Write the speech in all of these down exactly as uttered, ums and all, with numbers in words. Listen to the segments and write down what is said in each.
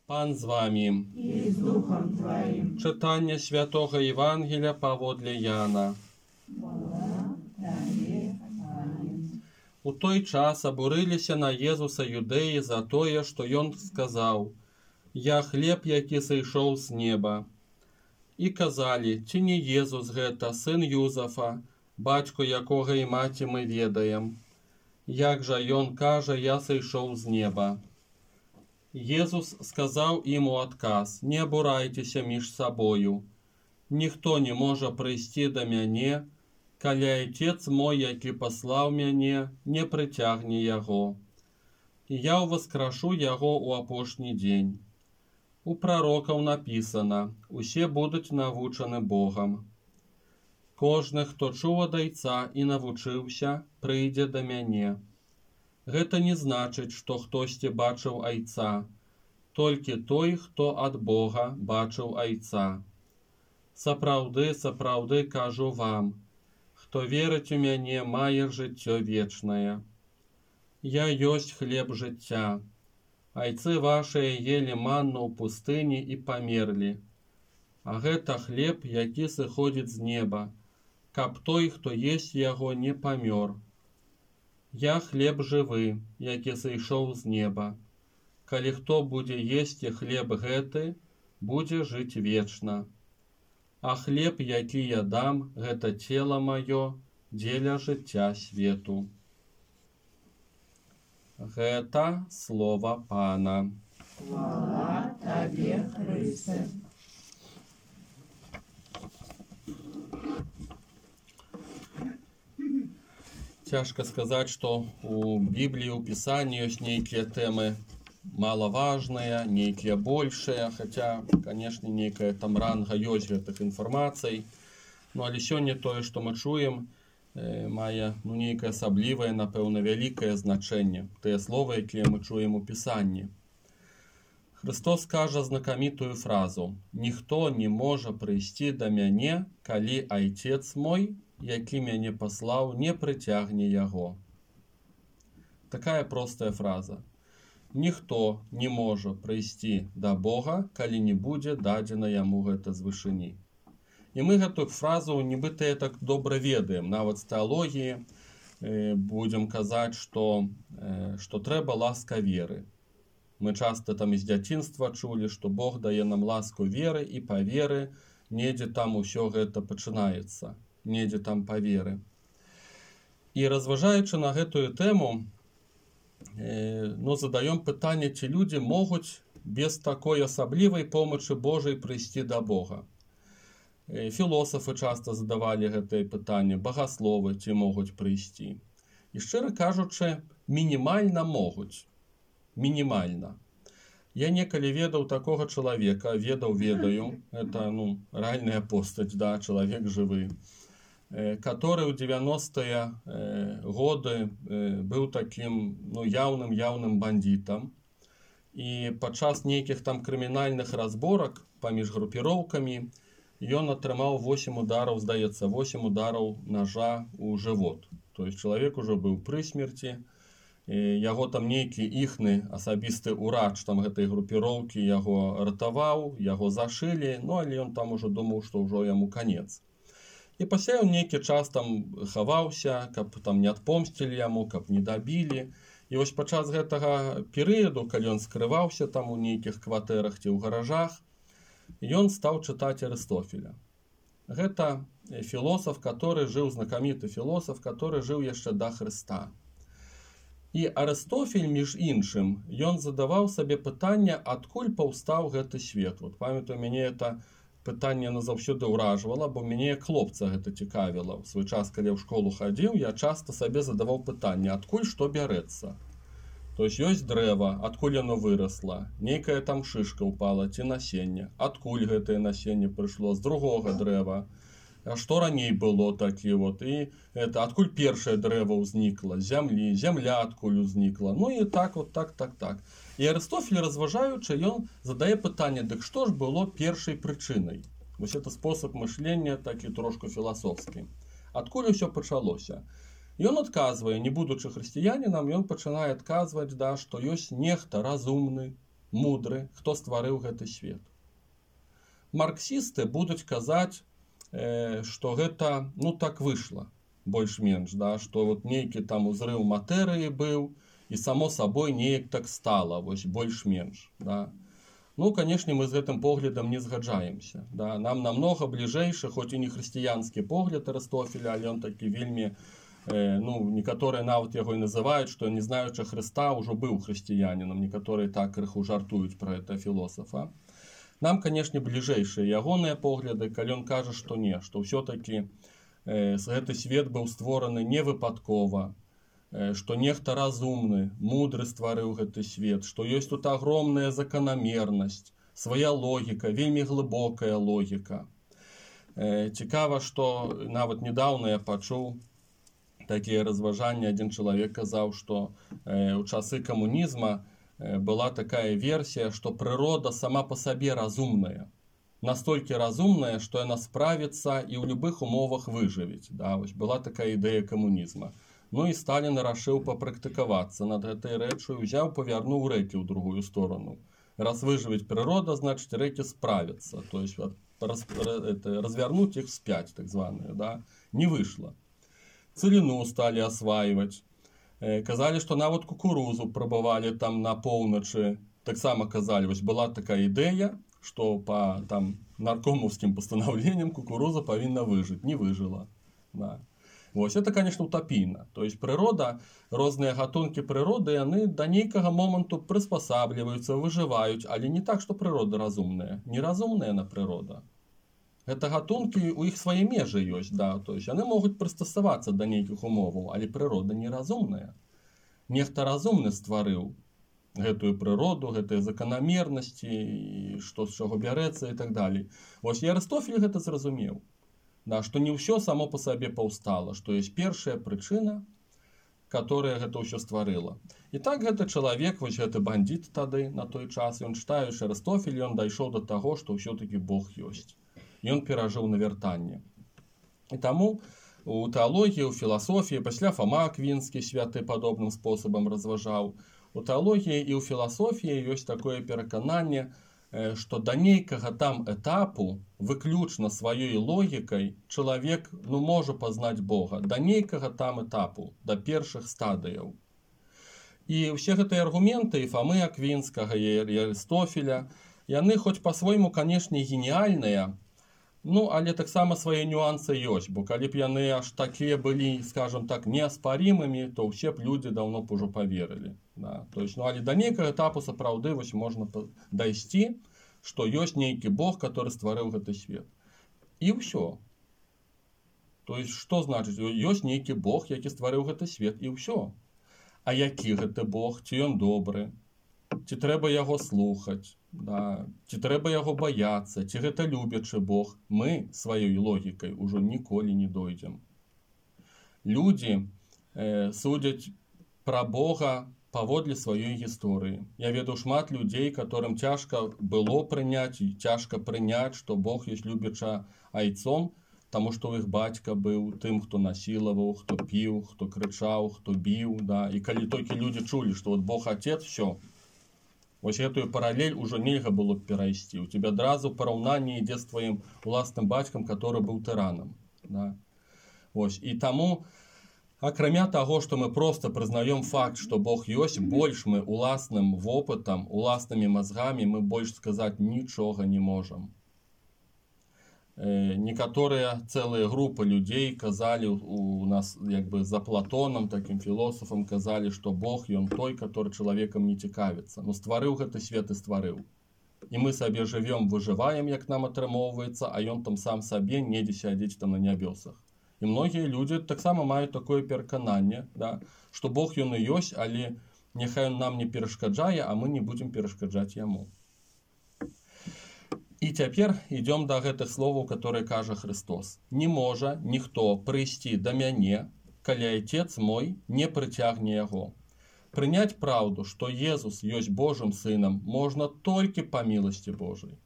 Пан з вами. И с Духом Твоим. Читання Святого Євангелія паводле Яна. У той час абурыліся на Езуса юдэі за тое, што ён сказаў: «Я хлеб, які сышоў з неба». І казалі: «Ці не Езус гэта, сын Юзафа, бацьку якога і маці мы ведаем? Як жа ён кажа: я сышоў з неба?» Езус сказаў ім у адказ: «Не абурайцеся між сабою. Ніхто не можа прыйсці да мяне, калі Айцец мой, які паслаў мяне, не прыцягне яго. І я ўваскрашу яго ў апошні дзень. У прарокаў напісана: усе будуць навучаны Богам. Кожны, хто чуў ад Айца і навучыўся, прыйдзе да мяне. Гэта не значыць, што хтосьці бачыў Айца, толькі той, хто ад Бога бачыў Айца. Сапраўды, сапраўды кажу вам, хто верыць у мяне, мае жыццё вечнае. Я ёсць хлеб жыцця. Айцы вашыя елі манну ў пустыні і памерлі. А гэта хлеб, які сыходзіць з неба, каб той, хто есць яго, не памёр. Я хлеб жывы, які сышоў з неба. Калі хто будзе есці хлеб гэты, будзе жыць вечна. А хлеб, які я дам, гэта цела маё дзеля жыцця свету». Гэта слова Пана. Хвала Табе, Христе. Цяжка сказаць, што у Бібліі, у Пісанні ёсць нейкія тэмы малаважныя, нейкія большыя, хаця, канешне, нейкая там ранга ёсць гэтых інфармацый. Ну, але сёння тое, што мы чуем, мае ну, нейкае асаблівае, напэўна, вялікае значэнне. Тыя словы, якія мы чуем у Пісанні. Христос кажа знакамітую фразу: «Ніхто не можа прыйсці да мяне, калі Айцец мой, які мяне паслаў, не прыцягне яго». Такая простая фраза. Ніхто не можа прыйсці да Бога, калі не будзе дадзена яму гэта з вышыні. І мы гэтую фразу нібыта так добра ведаем. Нават з тэалогіі э, будзем казаць, што, э, што трэба ласка веры. Мы часта там з дзяцінства чулі, што Бог дае нам ласку веры, і па веры недзе там усё гэта пачынаецца. Недзе там па веры. І разважаючы на гэтую тэму, э, ну, задаём пытанне, ці людзі могуць без такой асаблівай помачы Божай прыйсці да Бога. Філосафы часта задавалі гэтае пытанне, багасловы ці могуць прыйсці. І шчыра кажучы, мінімальна могуць. Мінімальна. Я некалі ведаў такога чалавека, ведаў, ведаю, это ну, рэальная постаць, да, чалавек жывы, который ў дзевяностыя годы быў такім ну, яўным яўным бандітам. І падчас нейкіх там крымінальных разборак паміж групіроўкамі ён атрымаў восем удараў, здаецца, восем удараў ножа ў жывот. То есть чалавек ужо быў пры смерці, яго там нейкі іхны асабісты ўрач там гэтай групіроўкі яго ратаваў, яго зашылі, ну але ён там ужо думаў, што ўжо яму канец. І пасля ён нейкі час там хаваўся, каб там не адпомсцілі яму, каб не дабілі. І вось падчас гэтага перыяду, калі ён скрываўся там у нейкіх кватэрах ці ў гаражах, ён стаў чытаць Арыстофеля. Гэта філосаф, который жыў, знакаміты філосаф, который жыў яшчэ да Хрыста. І Арыстофель, між іншым, ён задаваў сабе пытанне, адкуль паўстаў гэты свет. Вот памятаю, мяне это пытанне назаўсёды ўражвала, бо мяне як хлопца гэта цікавіла. У свой час, калі я ў школу хадзіў, я часта сабе задаваў пытанне, адкуль што бярэцца. То есть ёсць дрэва, адкуль яно вырасла, нейкая там шышка ўпала ці насенне, адкуль гэтае насенне прыйшло з другога дрэва, а што раней было такі вот, і это адкуль першае дрэва ўзнікла, зямлі, зямля адкуль узнікла, ну і так вот, так, так, так. І Арыстофель, разважаючы, ён задае пытанне, дык што ж было першай прычынай? Вось это спосаб мышлення такі трошку філасофскі. Адкуль усё пачалося? Ён адказвае, не будучы хрысціянінам, ён пачынае адказваць, да, што ёсць нехта разумны, мудры, хто стварыў гэты свет. Марксісты будуць казаць, э, што гэта ну так выйшла больш-менш, да, што вот нейкі там узрыў матэрыі быў і само сабой неяк так стала, вось больш-менш, да. Ну, канешне, мы з гэтым поглядам не згаджаемся, да. Нам намнога бліжэйшы, хоць і не хрысціянскі погляд Арыстофеля, але ён такі вельмі, э, ну, некаторыя нават яго і называюць, што не знаючы Хрыста ўжо быў хрысціянінам, некаторыя так крыху жартуюць пра гэта філосафа. Нам, канешне, бліжэйшыя ягоныя погляды, калі ён кажа, што не, што ўсё-такі э, гэты свет быў створаны невыпадкова, э, што нехта разумны, мудры стварыў гэты свет, што ёсць тут агромная заканамернасць, свая логіка, вельмі глыбокая логіка. Э, цікава, што нават недаўна я пачуў такія разважанні, адзін чалавек казаў, што э, ў часы камунізма была такая версія, што прырода сама па сабе разумная. Настолькі разумная, што яна справіцца і ў любых умовах выжывець. Да, вось была такая ідэя камунізма. Ну і Сталін рашыў папрактыкавацца над гэтай рэчаю, узяў, павярнуў рэкі ў другую сторону. Раз выжывець прырода, значыць рэкі справяцца. То есть раз, это, развярнуць іх вспять, так званые, да, не выйшла. Цыліну сталі асваиваць. Казалі, што нават кукурузу прабавалі там на поўначы. Таксама казалі, вось была такая ідэя, што па там наркомаўскім пастанаўленням кукуруза павінна выжыць. Не выжыла. Да. Вось это, конечно, утапійна. То есть прырода, розныя гатункі прыроды, яны да нейкага моманту прыспасабліваюцца, выжываюць, але не так, што прырода разумная. Неразумная на прырода. Гэта гатункі, у іх свае межы ёсць, да, то есть яны могуць прыстасавацца да нейкіх умоваў, але прырода неразумная. Нехта разумны стварыў гэтую прыроду, гэтыя заканамернасці, што з чаго бярэцца і так далей. Вось і Арыстофель гэта зразумеў, да, што не ўсё само па сабе паўстала, што ёсць першая прычына, которая гэта ўсё стварыла. І так гэты чалавек, вось гэты бандит тады, на той час, ён чытаючы Арыстофель, ён дайшоў да таго, што ўсё-такі Бог ёсць. Ён перажыў навяртанне. І таму у тэалогіі, у філасофіі, пасля Фома Аквінскі святы падобным спосабам разважаў. У тэалогіі і ў філасофіі ёсць такое перакананне, што да нейкага там этапу выключна сваёй логікай чалавек ну, можа пазнаць Бога. Да нейкага там этапу, да першых стадыяў. І ўсе гэтыя аргументы і Фомы Аквінскага, і Арыстофеля, яны хоць па-свойму, канешне, геніяльныя, ну, але таксама свае нюансы ёсць, бо калі б яны аж такія былі, скажем так, неаспарімымі, то ўсе б людзі даўно б ужо паверылі. Да? То есть, ну, але да нейкага этапу сапраўды вось можна дайсці, што ёсць нейкі Бог, который стварыў гэты свет. І ўсё. То есть, што значыць? Ёсць нейкі Бог, які стварыў гэты свет, і ўсё. А які гэты Бог? Ці ён добры? Ці трэба яго слухаць? Да. Ці трэба яго баяцца, ці гэта любячы Бог, мы сваёй логікай ужо ніколі не дойдзем. Людзі э, судзяць пра Бога паводле сваёй гісторыі. Я ведаю шмат людзей, которым цяжка было прыняць, і цяжка прыняць, што Бог ёсць любяча айцом, таму што ў іх бацька быў тым, хто насілаваў, хто піў, хто крычаў, хто біў. Да. І калі толькі людзі чулі, што вот Бог Отец, все. Вось гэтую паралель ужо нельга было б перайсці. У тебя адразу параўнанне ідзе з тваім уласным бацькам, который быў тыранам. Да? Вось. І таму, акрамя таго, што мы проста прызнаём факт, што Бог ёсць, больш мы уласным вопытам, уласнымі мазгамі мы больш сказаць нічога не можам. Некаторыя цэлыя групы людзей казалі у нас, як бы за Платонам, такім філосафам, казалі, што Бог ён той, который чалавекам не цікавіцца. Ну, стварыў гэты свет і стварыў. І мы сабе жывём, выжываем, як нам атрымоўваецца, а ён там сам сабе недзе сядзець там на нябёсах. І многія людзі таксама маюць такое перакананне, да, што Бог ён і ёсць, але няхай ён нам не перашкаджае, а мы не будзем перашкаджаць яму. І цяпер ідём да гэтых словаў, которые кажа Христос. Не можа ніхто прыйсці да мяне, калі Отец мой не прыцягне яго. Прыняць праўду, што Езус ёсць Божым сынам, можна толькі па міласці Божай.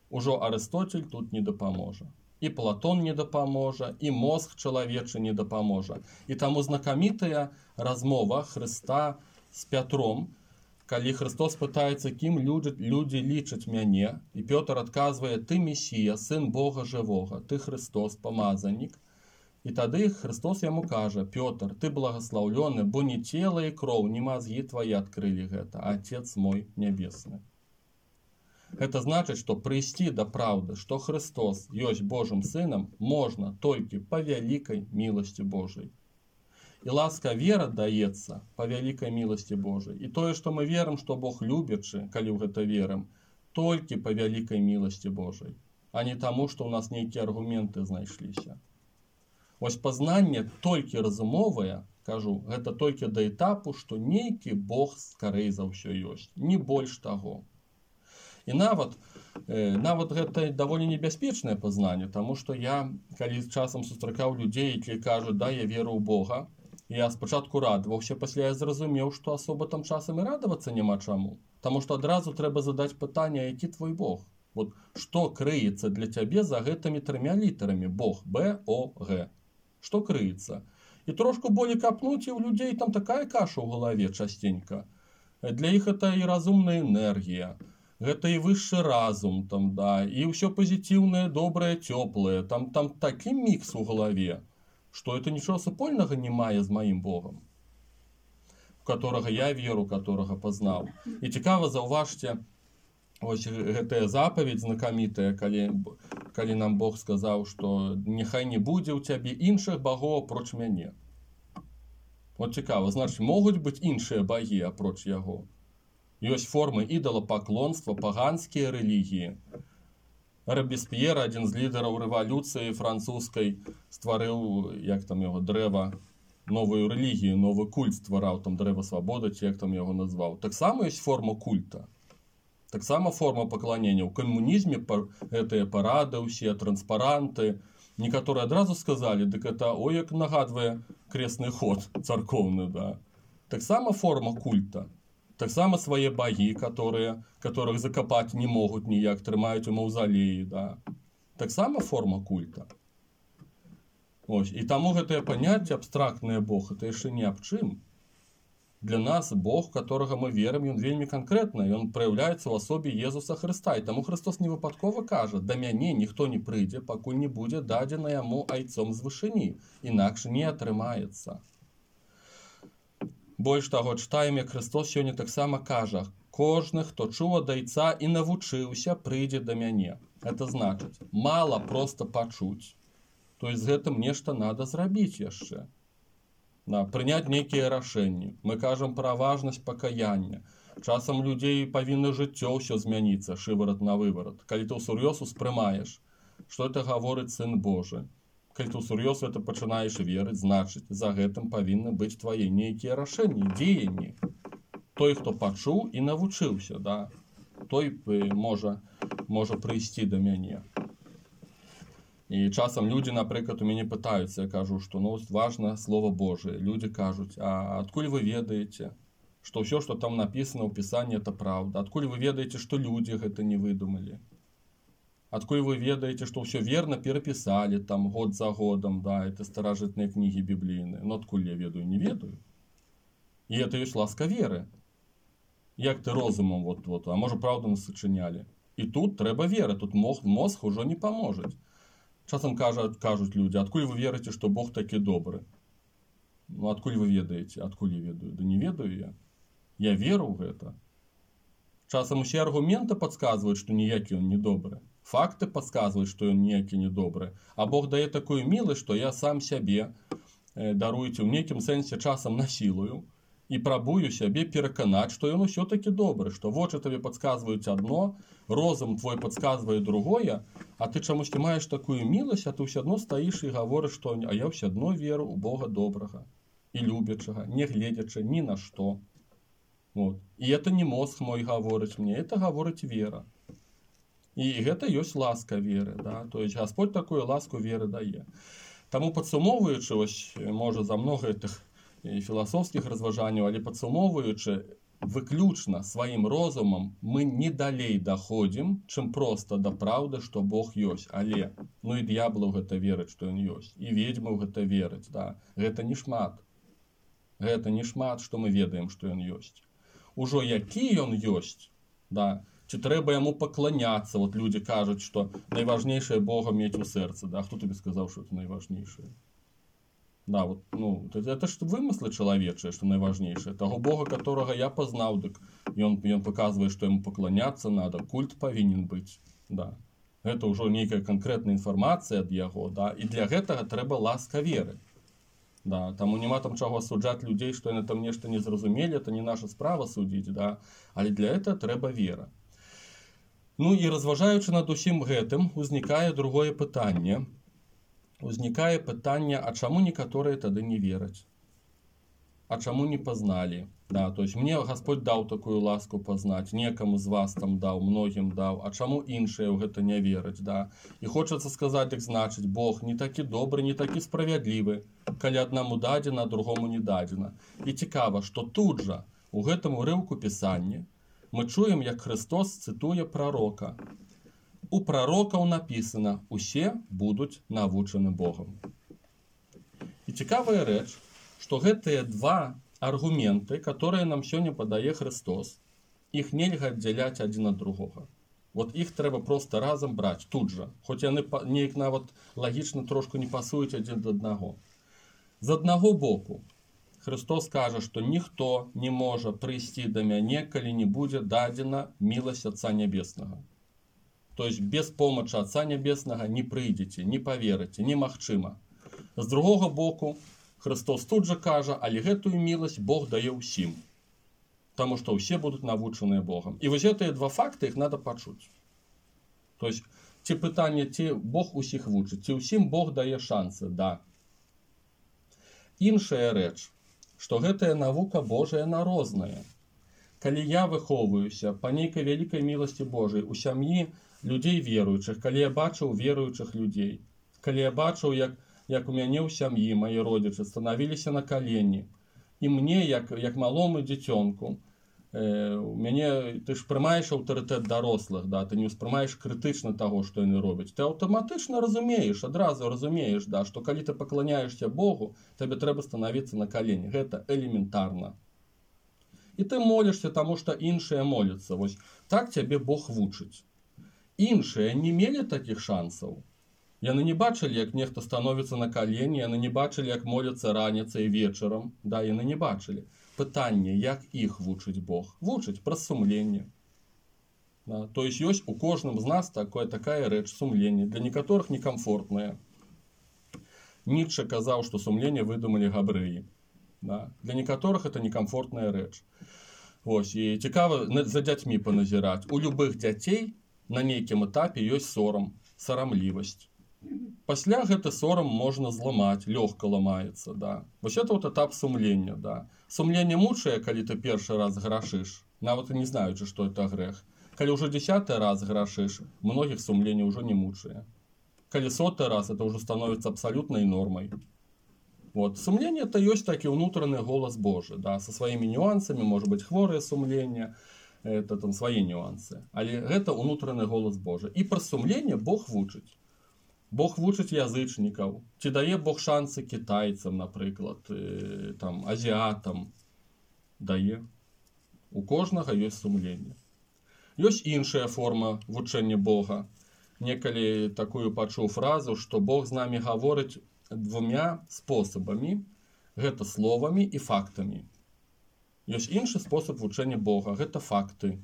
Ужо Арыстоцель тут не дапаможа. І Платон не дапаможа, і мозг чалавечы не дапаможа. І таму знакамітая размова Хрыста з Пятром, Калі Христос пытаецца, кім люди, люди лічаць мяне, і Пётр адказвае: ты Месія, сын Бога жывога, ты Христос, памазанік. І тады Христос яму кажа: Пётр, ты благословлены, бо не цела і кроў, не мазгі твои адкрылі гэта, а Отец мой нябесны. Гэта значыць, што прыйсці да праўды, што Христос ёсць Божым сынам, можна толькі па вялікай міласці Божай. І ласка вера даецца па вялікай міласці Божай. І тое, што мы верым, што Бог любячы, калі ў гэта верым, толькі па вялікай міласці Божай, а не таму, што ў нас нейкія аргументы знайшліся. Вось пазнанне толькі разумовае, кажу, гэта толькі да этапу, што нейкі Бог скарэй за ўсё ёсць, не больш таго. І нават, э, нават гэта даволі небяспечнае пазнанне, таму што я, калі часам сустракаў людзей, якія кажуць: да, я веру ў Бога, я спачатку радаваўся, пасля я зразумеў, што асоба там часам і радавацца няма чаму. Таму што адразу трэба задаць пытанне: які твой Бог? Вот што крыецца для цябе за гэтымі трымя літарамі? Бог, Б, О, Г. Што крыецца? І трошку болей капнуць, і ў людзей там такая каша ў галаве частенька. Для іх гэта і разумная энергія, гэта і высшы разум, там, да, і ўсё пазітыўнае, добрае, цёплае. Там, там такі мікс у галаве, што это нічого супольнага не мае з маім Богом, у которого я веру, которого пазнаў. І цікава, заўважце, ось гэтая запаведь знакамітая, калі, калі нам Бог сказаў, што няхай не будзе ў цябе іншых багоў апроч мяне. Вот цікава, значыць, могуць быць іншыя багі апроч яго. Ёсць формы ідалапаклонства, паганскія рэлігіі. Робеспьер, адзін з лідараў рэвалюцыі французскай, стварыў, як там яго, дрэва, новую рэлігію, новы культ ствараў, там дрэва свабоды, ці як там яго назваў. Таксама ёсць форма культа. Таксама форма пакланення. У камунізме гэтыя парады, ўсе транспаранты. Некаторыя адразу сказалі: дык это, ой, як нагадвае кресны ход царкоўны, да. Таксама форма культа. Таксама свае багі, которые, которых закапаць не могуць ніяк, трымаюць у маўзалеі, да. Таксама форма культа. Ось. І таму гэтае паняцце абстрактнае Бог, это яшчэ не аб чым. Для нас Бог, которого мы верим, ён вельмі канкрэтны, ён праяўляецца ў асобе Езуса Хрыста. І таму Христос не выпадкова кажа: да мяне ніхто не прыйдзе, пакуль не будзе дадзена яму айцом з вышыні, інакш не атрымаецца. Больш таго, чытаем, як Христос сёння таксама кажа: кожны, хто чуў ад айца і навучыўся, прыйдзе да мяне. Это значыць, мала проста пачуць. То есть з гэтым нешта надо зрабіць яшчэ. Да, прыняць нейкія рашэнні. Мы кажам пра важнасць пакаяння. Часам людзей павінна жыццё ўсё змяніцца, шыварат на выварат. Калі ты ўсур'ёз успрымаеш, што это гаворыць Сын Божы. Калі ты ўсур'ёз это пачынаеш верыць, значыць, за гэтым павінны быць твае нейкія рашэнні, дзеянні. Той, хто пачуў і навучыўся, да, той можа, можа прыйсці да мяне. І часам людзі, напрыклад, у мяне пытаюцца, я кажу, што ну, важна Слово Божие. Людзі кажуць: а адкуль вы ведаеце, што ўсё, што там напісана ў Пісанні, это праўда? Адкуль вы ведаеце, што людзі гэта не выдумалі? Адкуль вы ведаеце, што ўсё верна перапісалі там год за годам, да, это старажытныя кнігі біблійныя? Ну, адкуль я ведаю? Не ведаю. І это ёсць ласка веры. Як ты розумам, вот, вот, а можа, праўду нас сачынялі? І тут трэба вера, тут мозг, мозг ужо не паможа. Часам кажуць, кажуць людзі: адкуль вы верыце, што Бог такі добры? Ну, адкуль вы ведаеце? Адкуль я ведаю? Да не ведаю я. Я веру ў гэта. Часам усе аргументы падказваюць, што ніякі ён не добры. Факты падказваюць, што ён ніякі не добры. А Бог дае такую міласць, што я сам сябе, э, даруйце, ў нейкім сэнсе часам насілую і прабую сябе пераканаць, што ён усё-такі добры, што вочы табе падказваюць адно, розум твой падказвае другое, а ты чамусьці маеш такую міласць, а ты ўсё адно стаіш і гаворыш, што а я ўсё адно веру ў Бога добрага і любячага, не гледзячы ні на што. Вот. І это не мозг мой гаворыць мне, это гаворыць вера. І гэта ёсць ласка веры, да? То есть Господь такую ласку веры дае. Таму падсумоўваючы, ось, можа, за многа гэтых філасофскіх разважанняў, але падсумоўваючы, выключна сваім розумам мы не далей даходзім, чым проста да праўды, што Бог ёсць. Але, ну і д'ябла ў гэта верыць, што ён ёсць. І ведзьма ў гэта верыць, да? Гэта не шмат. Гэта не шмат, што мы ведаем, што ён ёсць. ужо які ён ёсць, да, ці трэба яму пакланяцца. Вот людзі кажуць, што найважнейшае Бога мець у сэрцы, да, хто табе сказаў, што это найважнейшае? Да, вот, ну, это ж вымыслы чалавечыя, што найважнейшае. Таго Бога, которого я пазнаў, дык ён, ён паказвае, што яму пакланяцца надо, культ павінен быць, да. Гэта ўжо нейкая канкрэтная інфармацыя ад яго, да, і для гэтага трэба ласка веры. Да, таму няма там чаго асуджаць людзей, што яны там нешта не зразумелі, это не наша справа судзіць, да, але для этого трэба вера. Ну і разважаючы над усім гэтым, узнікае другое пытанне. Узнікае пытанне, а чаму некаторыя тады не вераць? А чаму не пазналі? Да, то есть мне Господь даў такую ласку пазнаць, некаму з вас там даў, многім даў, а чаму іншыя ў гэта не вераць, да? І хочацца сказаць, так значыць, Бог не такі добры, не такі справядлівы, калі аднаму дадзена, а другому не дадзена. І цікава, што тут жа, у гэтым урыўку Пісання, мы чуем, як Христос цытуе прарока. У прарокаў напісана, усе будуць навучаны Богам. І цікавая рэч, што гэтыя два аргументы, которые нам сёння падае Христос, іх нельга аддзяляць адзін ад другога. Вот іх трэба проста разам браць тут жа, хоць яны неяк нават лагічна трошку не пасуюць адзін да аднаго. З аднаго боку, Христос кажа, што ніхто не можа прыйсці да мяне, калі не будзе дадзена міласць Отца Нябеснага. То есть без помощи Отца Небесного не прыйдзеце, не поверыце, немагчыма. З другого боку, Христос тут же кажа, але гэтую міласць Бог дае ўсім. Таму што ўсе будуць навучаныя Богом. І вось гэтыя два факты, іх надо пачуць. То есть, ці пытанне, ці Бог усіх вучыць, ці ўсім Бог дае шансы, да. Іншая рэч, што гэтая навука Божая на розная. Калі я выхоўваюся па нейкай вялікай міласці Божай у сям'і людзей веруючых, калі я бачыў веруючых людзей, калі я бачыў, як, як у мяне ў сям'і мае родзічы станавіліся на калені, і мне, як, як малому дзіцёнку, э, у мяне, ты ж прымаеш аўтарытэт дарослых, да, ты не ўспрымаеш крытычна таго, што яны робяць. Ты аўтаматычна разумееш, адразу разумееш, да, што калі ты пакланяешся Богу, табе трэба станавіцца на калені. Гэта элементарна. І ты молішся, таму што іншыя моляцца. Вось так цябе Бог вучыць. Іншыя не мелі такіх шансаў. Яны не бачылі, як нехта становіцца на калені, яны не бачылі, як моляцца раніцай і вечарам. Да, яны не бачылі. Пытанне, як іх вучыць Бог? Вучыць праз сумленне. Да, то есть ёсць у кожным з нас такое, такая рэч, сумленне. Для некаторых некамфортная. Ніцше казаў, што сумленне выдумалі габрэі. Да. Для некаторых это некамфортная рэч. Вось, і цікава за дзяцьмі паназіраць. У любых дзяцей на нейкім этапе ёсць сорам, сарамлівасць. Пасля гэты сорам можна зламаць, лёгка ламаецца, да. Вось это вот этап сумлення, да. Сумленне мучае, калі ты першы раз грашыш, нават і не знаючы, што это грэх. Калі ўжо дзесяты раз грашыш, многіх сумленне ўжо не мучае. Калі соты раз, это ўжо становіцца абсалютнай нормай. Вот. Сумление это есть таки внутренний голос Божий, да, со своими нюансами, может быть хворое сумление, это там свои нюансы, але это внутренний голос Божий. И про сумление Бог вучить. Бог вучить язычников, ці дае Бог шансы китайцам, наприклад, там, азиатам, дае. У кожного есть сумление. Есть іншая форма вучення Бога. Некалі такую пачуў фразу, что Бог з нами гаворыць двумя способами, гэта словами и фактами. Ёсць іншы способ вучення Бога, гэта факты.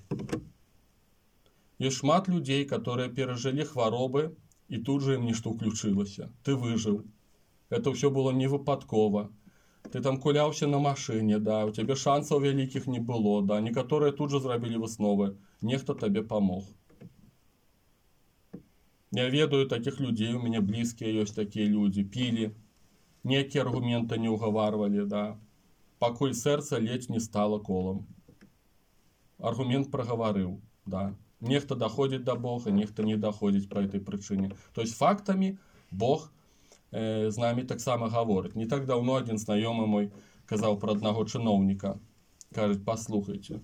Ёсць шмат людей, которые перажылі хваробы, и тут же им нешта ўключылася. Ты выжыў. Это все было не выпадкова. Ты там куляўся на машине, да, у тебе шансаў вялікіх не было, да, некаторыя тут же зрабілі высновы. Нехта табе помог. Я ведаю таких людей, у меня близкие есть такие люди, пили, некие аргументы не уговаривали, да, покуль сердце ледь не стало колом. Аргумент проговорил, да. Нехто доходит до Бога, нехто не доходит по этой причине. То есть фактами Бог э, з нами так само говорит. Не так давно один знакомый мой казал про одного чиновника. Кажет, послухайте,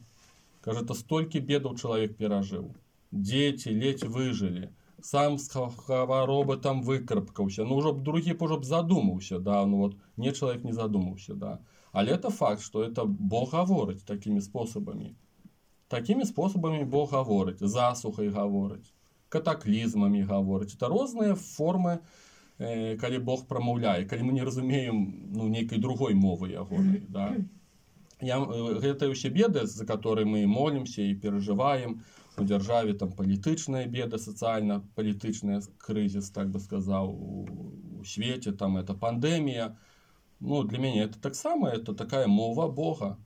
кажет, а столько бедов человек пережил. Дети ледь выжили. Сам з хваробы там выкарабкаўся. Ну, ўжо б другі б ўжо б задумаўся, да, ну вот, не чалавек не задумаўся, да. Але это факт, што это Бог гаворыць такімі спосабамі. Такими способами Бог говорить. Засухой говорить, катаклізмами говорить. Это розныя формы, э, калі Бог прамаўляе, калі мы не разумеем ну, нейкай другой мовы ягонай. Да? Я, э, гэта ўсе беды, за которые мы молимся и переживаем. У державе там палітычная беда, социально-палітычная кризис, так бы сказал, у, у свете там это пандемия. Ну, для меня это так само, это такая мова Бога.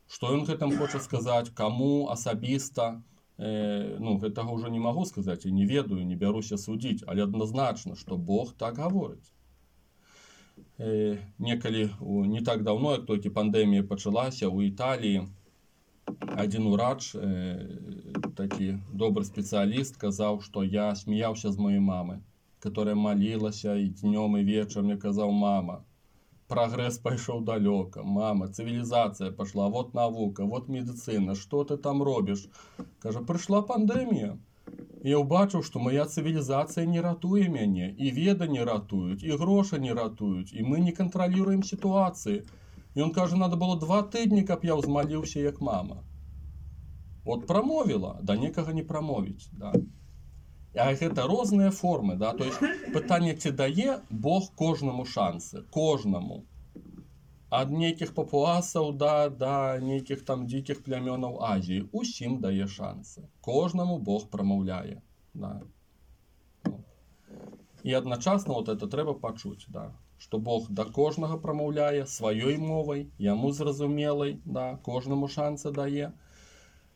Что он гэтым хоча сказать, кому асабіста, э, ну, гэтага уже не могу сказать, я не ведаю, не бяруся судить, але однозначно, что Бог так говорит. Э, некалі, не так давно, як толькі пандемія пачалася, у Італії один урач, э, такі добрый специалист, сказал, что я смеялся с моей мамой, которая молилася и днем, и вечером, мне казал: мама, прогресс пошел далеко, мама, цивилизация пошла, вот наука, вот медицина, что ты там робишь? Каже, пришла пандемия. Я убачив, что моя цивилизация не ратуе мяне, и веда не ратуют, и гроши не ратуют, и мы не контролируем ситуации. И он каже, надо было два тыдні, каб я ўзмаліўся, як мама. Вот промовила, да некага не промовить, да. А гэта розныя формы, да, то есть пытанне, ці дае Бог кожнаму шансы, кожнаму. Ад нейкіх папуасаў да, да нейкіх там дзікіх плямёнаў Азіі, усім дае шансы. Кожнаму Бог прамаўляе, да. І адначасна вот это трэба пачуць, да, што Бог да кожнага прамаўляе сваёй мовай, яму зразумелай, да, кожнаму шансы дае.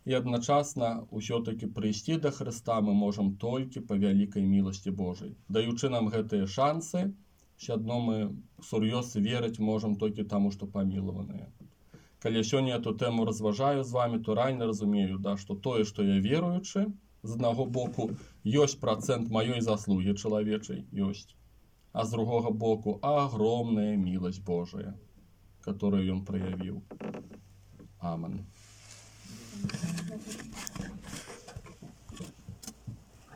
І адначасна ўсё-такі прыйсці да Хрыста мы можам толькі па вялікай міласці Божай. Даючы нам гэтыя шансы, все адно мы сур'ёз верыць можам толькі таму, што памілаваныя. Калі сёння эту тэму разважаю з вами, то раней разумею, да, што тое, што я веруючы, з аднаго боку, ёсць працэнт маёй заслугі чалавечай, ёсць. А з другога боку, агромная міласць Божая, которую ён праявіў. Амен.